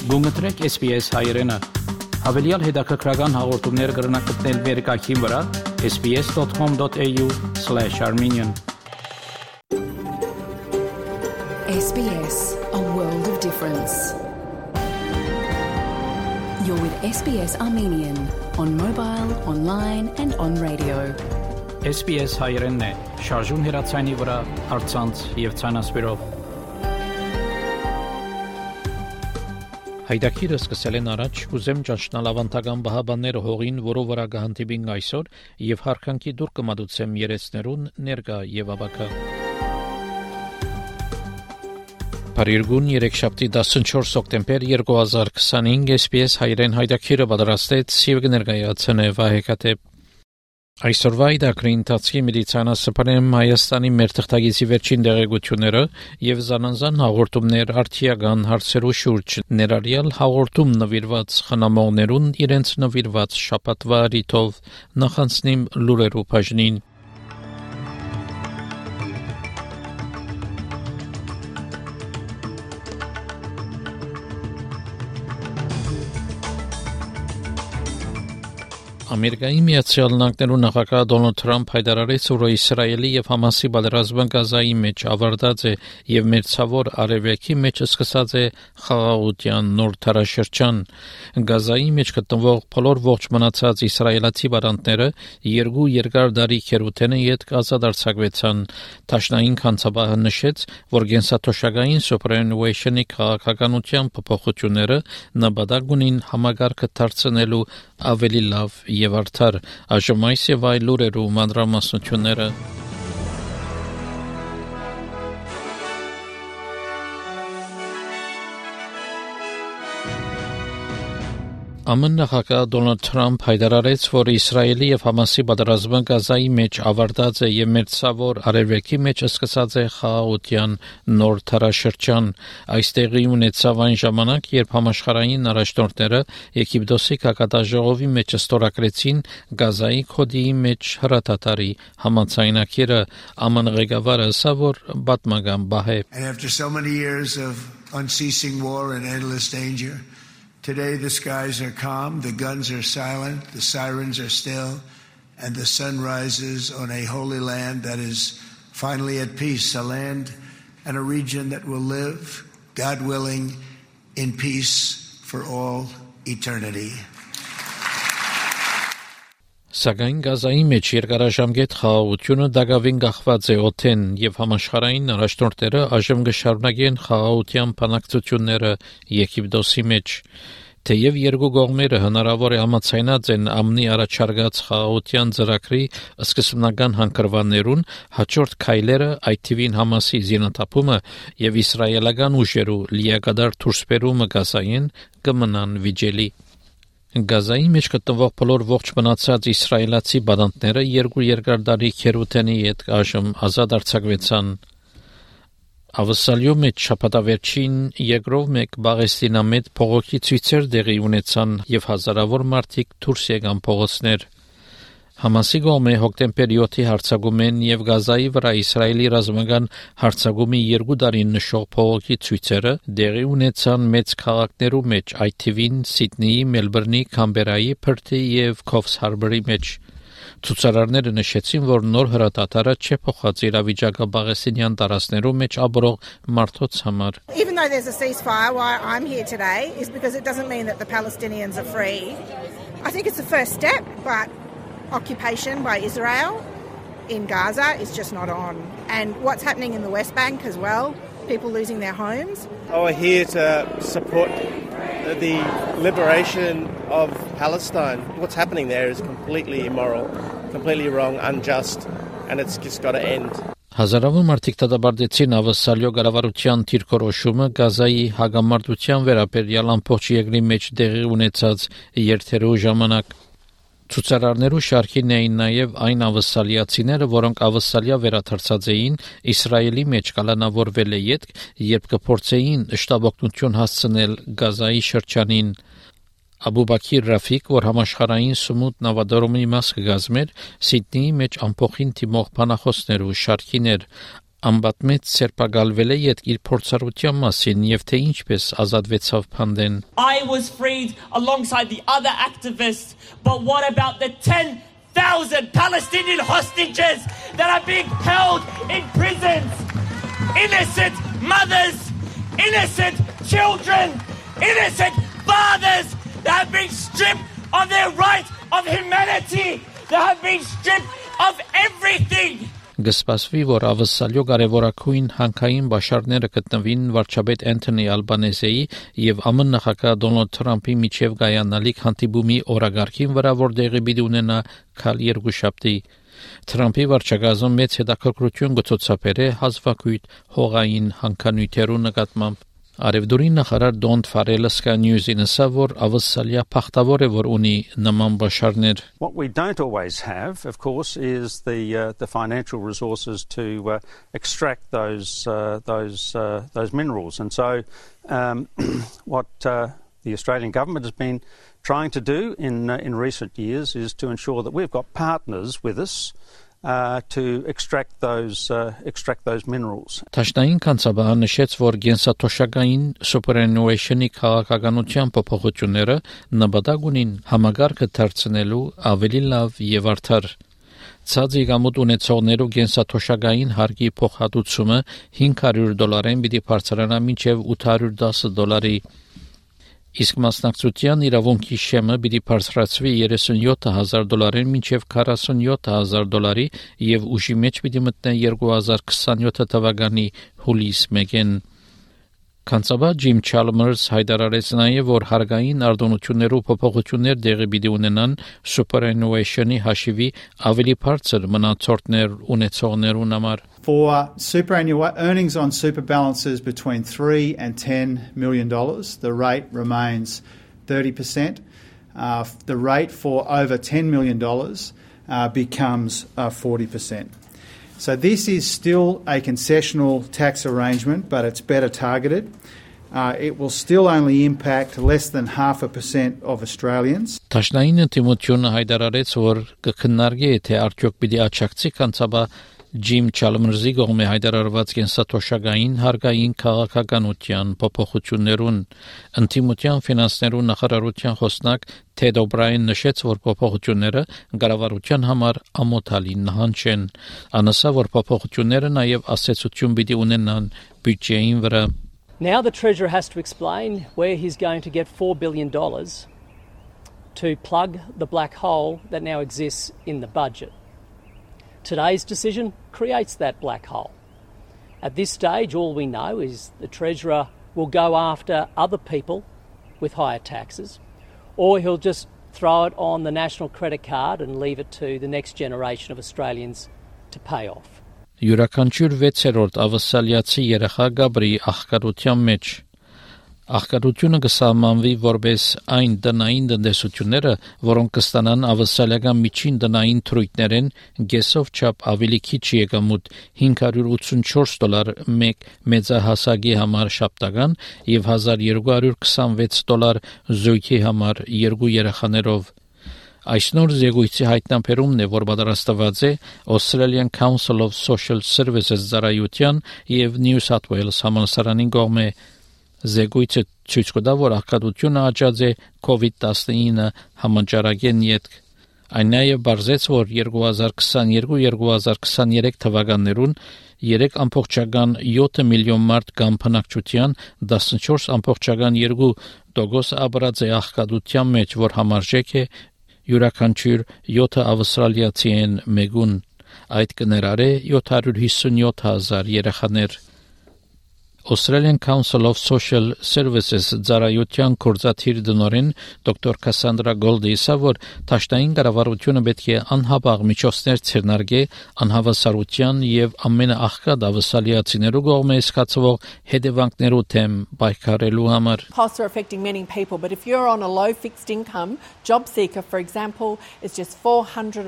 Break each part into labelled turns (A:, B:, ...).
A: Գումտրեք SPS հայրենը, հավելյալ հետաքրքրական հաղորդումներ կգրնակցնել վերկայքին վրա sbs.com.au/armenian
B: SBS, a world of difference. You're with SBS Armenian on mobile, online and on radio.
A: SPS հայրենն է, շարժուն հեռացանի վրա, առցանց եւ ցանասպիրով։ Հայդակիրը սկսել են առաջ կուզեմ ճաշնալ ավանդական բահաբանները հողին, որով վրա կհանդիպին այսօր եւ հարկանքի դուր կմատուցեմ երեցներուն ներկա եւ ավակա։ Փարիգուն երեքշաբթի 14 հոկտեմբեր 2025 SPS հայրեն հայդակիրը պատրաստեց եւ կներկայացնե Վահեկատե Այսօրվա իդակրին տացի միլիցանասպարեմ Հայաստանի մեր թղթագիտի վերջին դեղեցությունները եւ զանազան հաղորդումներ արդիական հարցերու շուրջ ներառյալ հաղորդում նվիրված խնամողներուն իրենց նվիրված շաբաթվա ռիթով նախանցնիմ լուրերու բաժնին Ամերիկայի Միացյալ Նահանգներու նախագահ Դոնալդ Թրամփ հայտարարեց, որ Իսրայելի եւ Համասի պատերազմը Գազայի մեջ ավարտած է եւ մերձավոր արևելքի մեջ սկսած է խաղաղության նոր դարաշրջան։ Գազայի մեջ գտնվող բոլոր ողջ մնացած իսրայելացի բանտները երկու երկար դարի քերութենը յետ ազատարձակվեցան։ Տաշնային կանցաբահը նշեց, որ գենսաթոշակային superannuation-ի քաղաքականության փոփոխությունները նպատակ ունին համագարկը դարձնելու ավելի լավ եւ արդար այժմ այս եւ այլ լուրերու մանրամասնությունները ԱՄՆ նախագահ Դոնալդ Թրամփ հայտարարեց, որ Իսրայելի եւ Համասի պատերազմը Գազայի մեջ ավարտած է եւ մերձավոր արևելքի մեջ սկսած է խաղաղության նոր դարաշրջան։ Այստեղի ունեցավ այն ժամանակ, երբ համաշխարհային առաջնորդները Եգիպտոսի կակատաժողովի մեջ ստորագրեցին Գազայի կոդիի մեջ հրատատարի համաձայնագիրը ԱՄՆ ղեկավարը ասա, որ պատմական բահ է։
C: And after so many years of unceasing war and endless danger, today the skies are calm, the guns are silent, the sirens are still, and the sun rises on a holy land that is finally at peace, a land and a region that will live, God willing, in peace for all eternity.
A: Սակայն Գազայի մեջ երկարաժամկետ խաղաղությունը դակավին գախված է օդեն եւ համաշխարհային առաջնորդները այժմ կշարունակեն խաղաղության բանակցությունները Եգիպտոսի մեջ։ Թեև երկու կողմերը հնարավոր է համաձայնած են ԱՄՆ-ի առաջարկած խաղաղության ծրագրի սկզբնական հանգրվաններուն, հաջորդ քայլերը այդ թվին Համասի զինաթափումը եւ իսրայելական ուժերու լիակատար դուրսբերումը Գազային կմնան վիճելի։ Գազայի մեջ գտնվող բոլոր ողջ մնացած իսրայելացի բանտները երկու երկար դարի քերութենի հետ այժմ ազատ արձակվեցան։ Ավսալյո մեջ շաբաթավերջին երկրով մեկ Պաղեստինամետ փողոքի ցույցեր տեղի ունեցան եւ հազարավոր մարդիկ դուրս եկան փողոցներ։ Համասի կողմը հոկտեմբեր 7-ի հարձակումեն եւ Գազայի վրա Իսրայելի ռազմական հարձակումի 2 տարին նշող փողոքի ցույցերը տեղի ունեցան մեծ քաղաքներու մեջ, այդ թվին Սիդնեի, Մելբուրնի, Կամբերայի, Փերթի եւ Քոֆս Հարբորի մեջ։ Ցուցարարները նշեցին, որ նոր հրատատարը չէ փոխած իրավիճակը Պաղեստինյան տարածքներու մեջ ապրող մարդոց համար։
D: Even though there's a ceasefire, why I'm here today is because it doesn't mean that the Palestinians are free. I think it's the first step, but occupation by Israel in Gaza is just not on. And what's happening in the West Bank as well, people losing their homes.
E: We're here to support the liberation of Palestine. What's happening there is completely immoral, completely wrong, unjust, and it's just got to end.
A: Հազարավոր մարդիկ դատապարտեցին ավսալյո կառավարության թիրքորոշումը Գազայի հագամարտության վերաբերյալ ամբողջ երկրի մեջ տեղի ունեցած երթերու ժամանակ։ Ցուցարարներու շարքին էին նաև այն ավսալիացիները, որոնք ավսալիա վերաթարցած էին Իսրայելի մեջ կալանավորվել է յետք, երբ կփորձեին շտաբօգնություն հասցնել Գազայի շրջանին։ Աբուբաքիր Ռաֆիկ, որ համաշխարհային սմուտ նավադարումի մաս կգազմեր, Սիդնեի մեջ ամփոխին թիմող բանախոսներու շարքին էր։ Ամբատմեծ սերպագալվել է իր փորձառության մասին եւ թե ինչպես ազատվեցավ Փանդեն.
F: I was freed alongside the other activists, but what about the 10,000 Palestinian hostages that are being held in prisons? Innocent mothers, innocent children, innocent fathers that have been stripped of their right of humanity, that have been stripped of everything.
A: Գսպասվի, որ ավսալյո կարևորակույն հանքային բաշարները գտնվին վարչապետ Անթոնի Ալբանեզեի եւ ԱՄՆ նախագահ Դոնալդ Թրամփի միջև գայանալիք հանդիպումի օրագարկին վրա, որ դեղի պիտի ունենա քալ երկուշաբթի։ Թրամփի վարչագազում մեծ հետաքրքրություն գծոցապեր է հազվագյուտ հողային հանքանյութերու նկատմամբ։ Արևդուրի նախարար Դոնտ Ֆարելը Sky News-ին ասավ, որ ավսալիա փախտավոր է, որ ունի նման բաշարներ։
G: What we don't always have, of course, is the financial resources to extract those minerals, and so what the Australian government has been trying to do in recent years is to ensure that we've got partners with us to extract those minerals.
A: Տաշնային կանցաբան նշեց, որ գենսաթոշակային superannuation-ի քաղաքականության փոփոխությունները նպատակ ունին համագարկը դարձնելու ավելի լավ եւ արդար։ Ցածի գամուտ ունեցողներու գենսաթոշակային հարկի փոխհատուցումը $500 պիտի բարձրանա մինչև $810։ Իսկ մասնակցության իրավունքի շեմը պիտի բարձրացվի $37,000 մինչև $47,000 եւ ուժի մեջ պիտի մտնի 2027 թվականի հուլիս 1-ին։ Կանցաբա Ջիմ Չալմերս հայտարարեց նաև, որ հարկային արտոնություններու փոփոխություններ դեղի պիտի ունենան superannuation-ի հաշիվի ավելի բարձր մնացորդներ ունեցողներուն համար։
H: For earnings on super balances between $3 and $10 million, the rate remains 30%. The rate for over $10 million becomes 40%. So this is still a concessional tax arrangement, but it's better targeted. It will still only impact less than 0.5% of Australians.
A: Տաշնային ինտիմությունը հայտարարեց, որ կքննարկի թե արդյոք պիտի աչակցի կանցաբա Ջիմ Չալմերսի կողմէ հայտարարված կենսաթոշակային հարկային քաղաքականության փոփոխություններուն ինտիմության ֆինանսներու նախարարության խոսնակ Թեդ Օբրաին նշեց, որ փոփոխությունները կառավարության համար ամոթալի նահանջ են։ Անասա, որ փոփոխությունները նաև ասացություն պիտի ունենան բյուջեին վրա։
I: Now the Treasurer has to explain where he's going to get $4 billion to plug the black hole that now exists in the budget. Today's decision creates that black hole. At this stage, all we know is the Treasurer will go after other people with higher taxes, or he'll just throw it on the national credit card and leave it to the next generation of Australians to pay off.
A: Յուրաքանչյուր 6-րդ ավսալիացի երեխա գաբրի աղքատության մեջ։ Աղքատությունը կսահմանվի որպես այն տնային տնտեսությունները, որոնք կստանան ավսալիական միջին տնային թրույթներեն գեսով չափ ավելի քիչ եկամուտ $584 մեկ մեծահասակի համար շաբթական եւ $1,226 զույգի համար երկու երեխաներով։ Այս նոր զեկույցի հայտնաբերումն է, որ պատրաստված է Australian Council of Social Services ծառայության եւ New South Wales համալսարանի կողմէ։ Զեկույցը ցույց կտա, որ աղքատությունը աճած է COVID-19 համաճարակեն յետք։ Այն նաև բարձեց, որ 2022-2023 թվականներուն 3.7 միլիոն մարդ կամ բնակչության 14.2% ապրած է աղքատության մեջ, որ համարժեք է յուրաքանչյուր 7 ավստրալիացիեն մեկուն։ Այդ կներառե 757,000 երեխաներ։ Australian Council of Social Services ծառայության կորզաթիր դնորեն դոկտոր Կասանդրա Գոլդը ասավ, որ տաշտային կառավարությունը պետք է անհապաղ միջոցներ ցերնարգի անհավասարության եւ ամենաաղքատ ավսալիացիներու կողմէ սկացվող հետևանքներու թեմ պայքարելու համար։
J: Costs are affecting many people, but if you're on a low fixed income, job seeker, for example, is just $401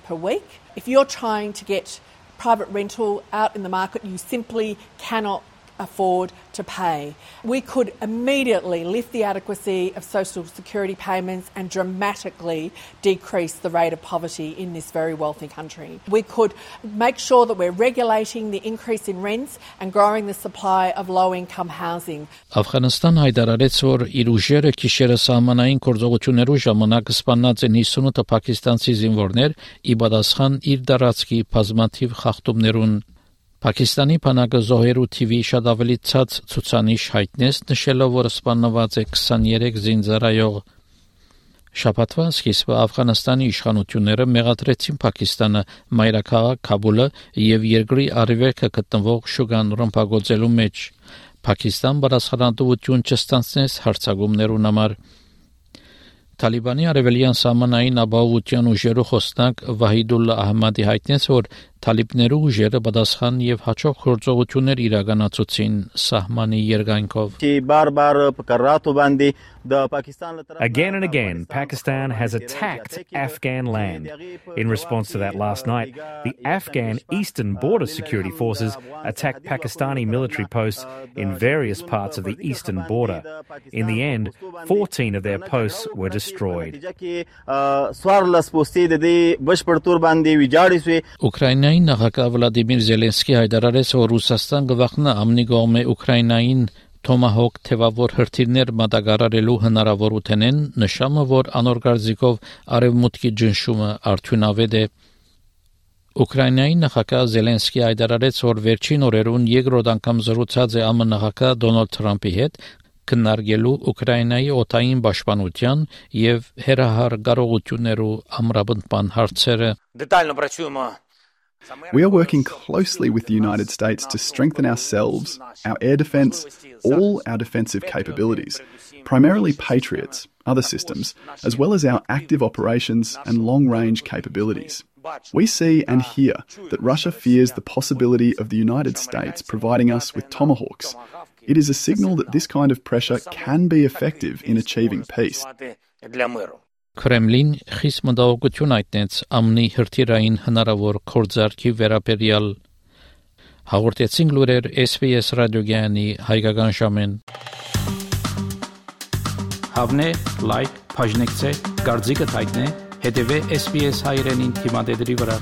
J: per week. If you're trying to get private rental out in the market, you simply cannot afford to pay. We could immediately lift the adequacy of social security payments and dramatically decrease the rate of poverty in this very wealthy country. We could make sure that we're regulating the increase in rents and growing the supply of low-income housing.
A: Աֆղանստան հայտարարեց, որ իր ուժերը գիշերը սահմանային գործողություններու ժամանակ սպանած են 58 պակիստանցի զինվորներ՝ ի պատասխան իր դարածքի բազմաթիվ խախտումներուն։ Պակիստանի բանակը զոհերու թիվի շատ ավելի ցած ցուցանիշ հայտնեց, նշելով, որ սպանված է 23 զինծառայող։ Շաբաթվա սկիզբը Աֆղանստանի իշխանությունները մեղադրեցին Պակիստանը մայրաքաղաք Քաբուլը եւ երկրի արևելքը գտնվող Շուգան ռմբակոծելու մեջ։ Պակիստան բարձրացնություն չստանցնեց հարձակումներուն համար։ Թալիբանի արևելյան սահմանային ապահովության ուժերու խոսնակ Վահիդուլ Ահմադի հայտնեց, որ թալիբներու ուժերը պատասխան եւ հաջող գործողություններ իրականացուցին սահմանի երկայնքով։
K: Again and again, Pakistan has attacked Afghan land. In response to that last night, the Afghan Eastern Border Security Forces attacked Pakistani military posts in various parts of the eastern border. In the end, 14 of their posts were destroyed.
A: Ուկրաինայի նախագահ Վլադիմիր Զելենսկի հայտարարեց, որ Ռուսաստան գվախնա ամնի կողմէ Ուկրաինային Թոմահոկ թևավոր հրթիռներ մատակարարելու հնարավորութենեն, նշամը, որ անոր գարձիկով արևմուտքի ճնշումը արդյունավետ է։ Ուկրաինայի նախագահ Զելենսկի հայտարարեց, որ վերջին օրերուն երկրորդ անգամ զրուցած է ԱՄՆ նախագահ Դոնալդ Թրամփի հետ, քննարկելու Ուկրաինայի օդային պաշտպանության եւ հերահար կարողություններու ամրապնդման հարցերը։
L: We are working closely with the United States to strengthen ourselves, our air defence, all our defensive capabilities, primarily Patriots, other systems, as well as our active operations and long-range capabilities. We see and hear that Russia fears the possibility of the United States providing us with Tomahawks. It is a signal that this kind of pressure can be effective in achieving peace.
A: Kremlin խիստ մտահոգություն հայտնեց ԱՄՆ-ի հրթիռային հնարավոր գործարքի վերաբերյալ։ Հաղորդեցին լուրեր SBS ռադիոգյանի հայկական ժամեն։ Հավնե, լայք, բաժնեկցե, դարձիկը թայտնե, հետևե SBS հայրենին թիմադեդի վրա։